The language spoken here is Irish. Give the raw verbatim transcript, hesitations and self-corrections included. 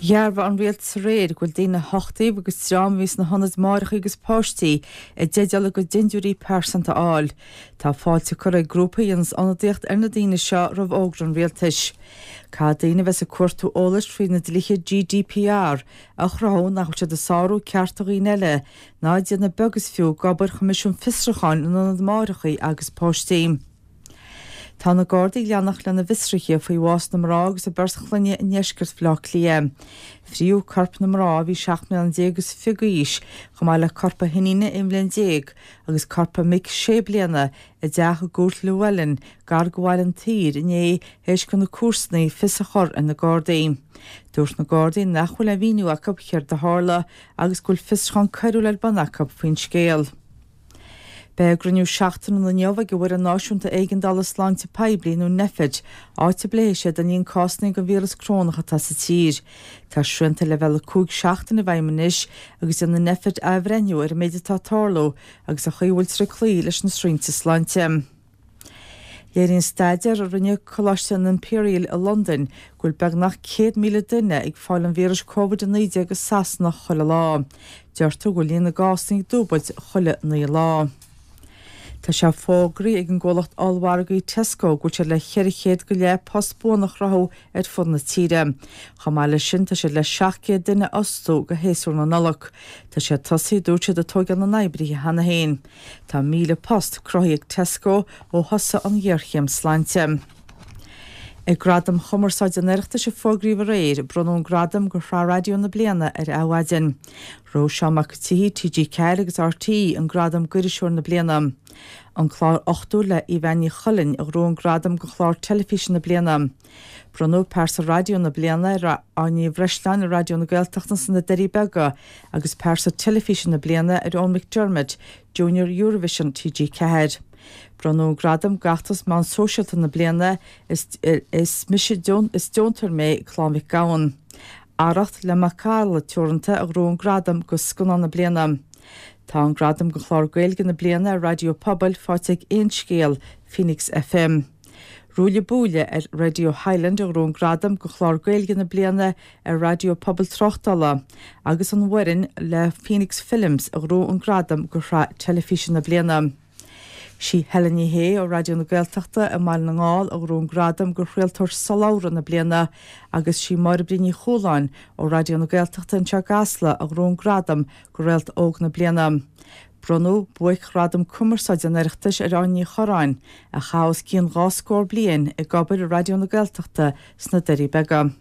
Dhearbhaigh an rialtas aréir go bhfuil daoine a huchtaíodh agus dream a bhí sna hionaid máithreacha agus páistí i dteideal a gcuid dintiúirí pearsanta a fháil. Tá fáilte curtha ag grúpa a dhéanas ionadaíocht ar na daoine seo roimh fhógra an rialtais. Caithfidh daoine a bheas ag cuartú eolais faoi na dlíthe GDPR a chruthú nach bhfuil siad ag sárú cearta dhaoine eile ná ag déanamh beag is fiú d'obair Choimisiún Fiosrúcháin na nIonad Máithreacha agus Páistí. Tá na Gardaí ag leanacht lena bhfiosruithe faoi bhás na mná agus a beirt chlainne i ndeisceart Bhaile Átha Cliath. Fríodh corp na mná a bhí seacht mbliana déag is fiche d'aois, chomh maith le corp a hiníne aon bhliain déag agus corp a mic sé bliana i dteach i gCúirt Llewellyn gar do Bhaile an tSaoir inné théis do na comharsanaí fios a chur ar na Gardaí. Dúirt na Gardaí nach bhfuil aon mhíniú acu céard a tharla agus go bhfuil fiosrúchán coiriúil ar bun acu faoin scéal. Beidh cruinniú seachtainiúil inniu ag an bhFoireann Náisiúnta Éigeandála Sláinte Poiblí nó Nphet, áit a bpléifidh siad an líon cásanna den víreas corónach atá sa tír. Tá srianta leibhéal a cúig seachtaine i bhfeidhm anois agus déanfaidh Nphet athbhreithniú ar an méid atá ag tarlú agus an chaoi a bhfuiltear ag cloí leis na srianta sláinte. Léiríonn staidéar a rinne Coláiste an Imperial i Londain go bhfuil beagnach céad míle duine ag fáil an víris Covid a naoi déag i Sasana chuile lá. Deirtear go bhfuil líon na gcásanna ag dúbailt chuile naoi lá. Tá sé fógraithe ag an gcomhlacht ollmhargaí Tesco go bhfuil siad le ceithre chéad go leith post buan a chruthú ar fud na tíre. Chomh maith leis sin tá siad le seacht gcéad duine a fhostú go shéasúr na Nollag. Tá siad tosaithe dúirt siad ag tógáil na n-oibrithe cheana féin. Tá míle post cruthaithe ag Tesco ó thosaigh an ghéarchéim sláinte. Ag Gradaim Chumarsáide an Oireachtais a fógraíodh aréir, bronnadh an gradam do Shraith Raidió na Bliana ar Adhmhaidin. Ghnóthaigh Seán Mac an tSíthigh, TG Ceathair agus RTÉ an gradam d'Iriseoir na Bliana. An clár Ochtó le Aoibheann Ní Chuilinn a ghnóthaigh an gradam do Chlár Teilifíse na Bliana. Bronnadh Pearsa Raidió na Bliana ar Áine Ní Bhreisleáin i Raidió na Gaeltachta sna Doirí Beaga agus Pearsa Teilifíse na Bliana ar Eoin McDermott, Junior Eurovision TG Ceathair. Bronnadh an gradam d'fheachtas meán sóisialta na bliana is is mise is deontóir mé Clann Mhic Gabhann. Arracht le Macalla Teoranta a ghnóthaigh an gradam do Scannán na Bliana. Tá an gradam do Chlár Gaeilge na Bliana ar Raidió Pobail faighte ag Aon Scéal, Phoenix FM. Ruaille Buaille ar Radio Highland a ghnóthaigh an gradam do Chlár Gaeilge na Bliana ar Raidió Pobail Tráchtála agus an Bhoirinn le Phoenix Films a ghnóthaigh an gradam do Shraith Teilifíse na Bliana. Sí Helen Ní Shé ó Raidió na Gaeltachta i mBaile na nGall a ghnóthaigh an gradam do Chraoltóir Sollabhra na Bliana agus sí Máire Bríd Ní Chualáin ó Raidió na Gaeltachta anseo i gCasla a ghnóthaigh an gradam do Réalt Óg na Bliana. Bronnadh buaic-ghradam cumarsáide an Oireachtais ar Áine Ní Chorráin, a chaith os cionn dhá scór bliain ag obair i Raidió na Gaeltachta sna Doirí Beaga.